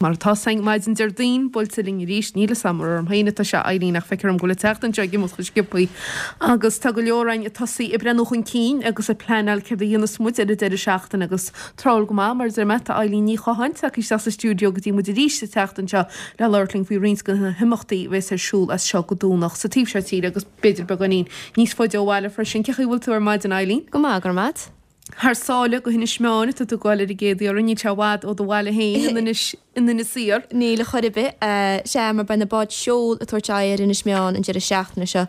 Mar atá 's againn maidin Déardaoin buailte linn arís, níl 'fhios a'm ar orm féin atá sé Eileen ach feictear dom go bhfuil an tseachtain seo ag imeacht chomh sciobthaí agus tá go leor againn ag tosaí ag breathnú chun cinn agus ag pleanáil céard a dhéanfas muid ar an deireadh seachtaine agus tráthúil go maith mar a deir mé tá Eileen Ní Chatháin tagtha isteach sa stiúideo go dtí muid arís an tseachtain seo le labhairt linn faoi roinnt de na himeachtaí a bheas ar siúl as seo go Domhnach sa taobh seo tíre agus b'fhéidir beagáinín níos faide ó bhaile freisin. Cén chaoi a bhfuil tú ar maidin Eileen? Go maith, go raibh maith 'ad. Thar sáile go hInis Meáin atá tú ag goil ar an gcéad iarraidh, níl sé i bhfad ó do bhaile féin in Inis, in Inis Oírr. Níl a chor ar bith. Sea, mar beidh na báid seoil ag tabhairt aghaidh ar Inis Meáin an deireadh seachtaine seo,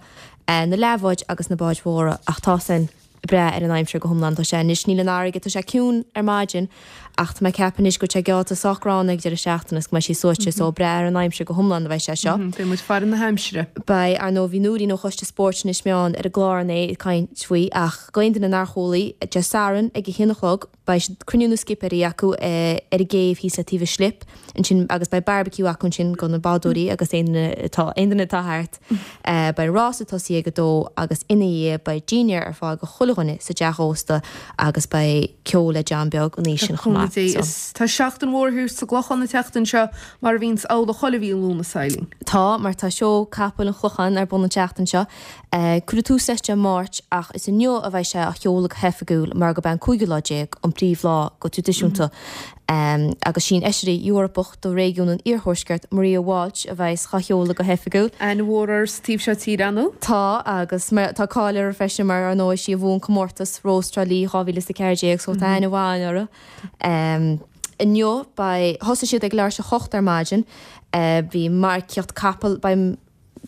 na leathbháid agus na báid mhóra, ach tá san ag brath ar an aimsir go hiomlán. Tá sé anois, níl an fharraige, tá sé ciúin ar maidin ach tá mé ag ceapadh anois go bhfuil sé geallta sách gránna ag deireadh seachtaine is go mbeidh sí suaite so ag brath ar an aimsir go hiomlán a bheidh sé seo. Beidh muid ag faire na haimsire. Beidh, ar ndóigh, bhí Nóirín ó Choiste Spóirt Inis Meáin ar an gclár inné ag caint faoi ach D'aon duine nár chualaidh, Dé Sathairn ag a haon a chlog beidh cruinniú na scipéirí acu ar an gcéibh thíos le taobh an Slip ansin agus beidh barbecue acu ansin do na bádóirí agus aon duine atá aon duine atá thart. Beidh an rása ag tosaí ag a dó agus ina dhiaidh beidh dinnéar ar fáil do chuile dhuine sa dteach ósta agus beidh ceol le John Beag an oíche sin chomh maith. Dé is tá seachtain mhór thiar sa gClochán an tseachtain seo mar a bhíonns amhlaidh chuile mhí Lúnasa, Eileen. Tá, mar tá seó capaill an Chlocháin ar bun an tseachtain seo. Cuireadh tús leis Dé Máirt ach is inniu a bheidh sé á sheoladh go hoifigiúil mar gurb é an cúigiú lá déag an príomhlá go traidisiúnta agus sí an Fheisire Eorpach do réigiún an Iarthuaiscirt, Maria Walsh a bheas dhá sheoladh go hoifigiúil. Aithne mhór uirthi sa taobh seo tíre, ar ndóigh? Tá agus tá cáil uirthi freisin mar ar ndóigh sí a bhuaigh an comórtas Rós Trá Lí 2014 so tá aithne mhaith uirthi. Inniu beidh, thosaigh siad ag leathuair tar éis a hocht ar maidin, bhí marcaíocht capall, beidh.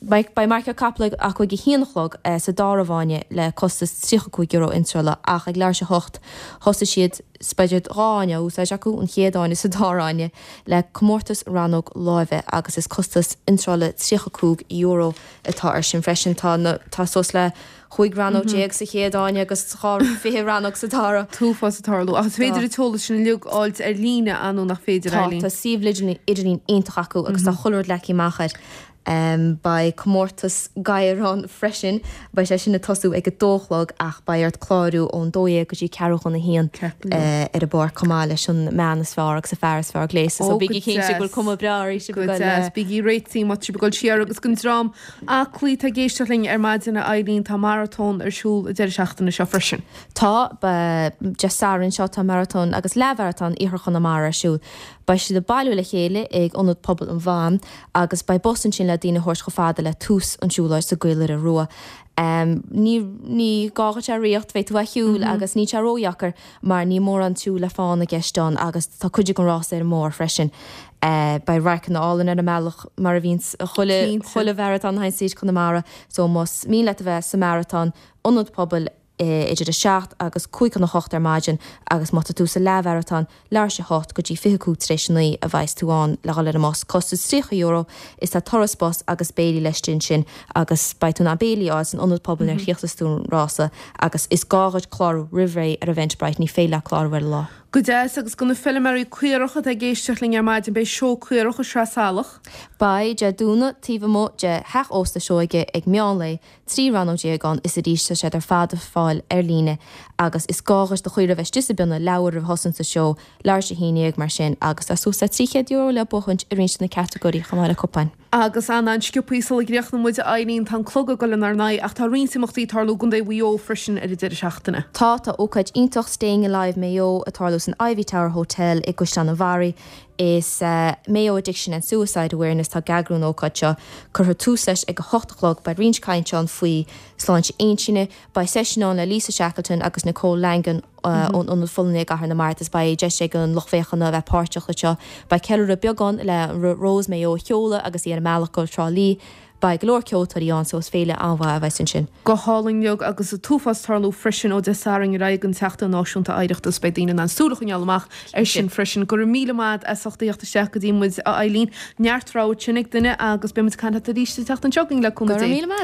Beidh marcaíocht capall acu ag a haon a chlog sa dara fáinne le costas €35 iontrála ach ag leathuair tar éis a hocht thosaigh siad, beidh dhá fháinne á úsáid acu, an chéad fháinne is an dara fháinne, le comórtas rannóg láimhe agus is costas iontrála €35 atá air sin freisin. Tá na, tá suas le chúig rannóg déag sa chéad fháinne agus 20 rannóg sa dara. T-uafás ag tarlú. Ach is féidir an t-eolas sin uilig a fháilt ar líne, an nó nach féidir, Tá, Eileen? tá suíomh idirlín iontach acu agus tá chuile rud leagtha amach air. Beidh comórtas gadhar ann freisin. Beidh sé sin ag tosú ag a dó a chlog ach beidh ort clárú ón dó dhéag go dtí ceathrú chun a haon ar an bpáirc chomh maith leis an mbean is fearr agus an fear is fearr gléasta. So bígí cinnte go bhfuil cuma breá oraibh sibh ag dul le. Bígí réitithe má tá sibh ag dul siar agus don dream aclaí atá ag éisteacht linn ar maidin a Eileen tá maratón ar siúl an deireadh seachtaine seo freisin. Tá, Dé Sathairn seo tá maratón agus leathmharatón Iarthar Chonamara ar siúl. Beidh siad ag bailiú le chéile ag Ionad Pobail an Mhaim agus beidh bus ansin le daoine a thabhairt chomh fada le tús an tsiúlóid sa gCaolaire Rua. Ní ní gá dhuit a riocht, beidh tú á shiúl agus níl sé ródheacair mar níl mórán siúl le fána i gceist ann agus tá cuid den rás ar an mbóthar freisin. Beidh radharcanna álainn ar an mbealach mar a bhíonns chuile chuile mharatón a théann tríd Conamara so más mian leat a bheith sa maratón, Ionad Pobail, idir 7 agus 5 chun 8 ar maidin agus má tá tú sa leathmharatón, leathuair tar éis a hocht go dtí 25 tar éis a 9 a bheas tú ann le dhul ar an mbus. Costas €30 is tá turas bus agus béilí laistigh ansin agus beidh tú in ann béilí a fháil san ionad pobail nuair a chríochnas tú an rása agus is gá dhuit clárú roimh ré ar Eventbrite, ní féidir leat clárú ar an lá. Go deas, agus do na feilméaraí caorach atá ag éisteacht linn ar maidin, beidh seó caorach i Sraith Salach. Beidh, Dé Domhnaigh, taobh amuigh de Theach Ósta Seoige ag meán lae, 13 rannóg ann is arís tá siad ar fad ar fáil ar líne agus is gá dhuit do chaora a bheith istigh sa bpionna leathuair roimh thosú sa seó, leathuair tar éis a haon dhéag mar sin agus tá suas le €300 le buachaint i roinnt de na catagóirí chomh maith le cupáin. Agus an-an-sciobthaí sula gcríochnóidh muid, a Eileen, tá an clog ag dul inár n-aghaidh ach tá roinnt imeachtaí ag tarlú i gContae Mhaigh Eo freisin ar an deireadh seachtaine. Tá, tá ócáid iontach Staying Alive Maigh Eo ag tarlú san Ivy Tower Hotel i gCaisleán an Bharraigh. Is Mayo Addiction and Suicide Awareness atá ag eagrú an ócáid seo. Cuirfear tús leis ag a hocht a chlog. Beidh roinnt cainte ann faoi sláinte intinne. Beidh seisiún ann le Lisa Shackleton agus Nicole Langan ón Ionad Folláine i gCathair na Mart is beidh deis ag an lucht féachana a bheith páirteach leis seo. Beidh ceiliúradh beag ann le Rós Maigh Eo a sheoladh agus í ar a mbealach go Trá Lí. Beidh go leor ceoltóirí ann so is féile an-mhaith a bheas ansin. Go hálainn uilig agus an t-uafás ag tarlú freisin ó Dé Sathairn ar aghaidh don tSeachtain Náisiúnta Oidhreachta is beidh daoine in ann súil a choinneáil amach air sin freisin. Go raibh míle maith a't as ucht a theacht isteach go dtí muid a Eileen. Neart rogha ansin ag duine agus beidh muid ag caint leat arís an tseachtain seo chugainn le cúnamh Dé. Go raibh míle maith.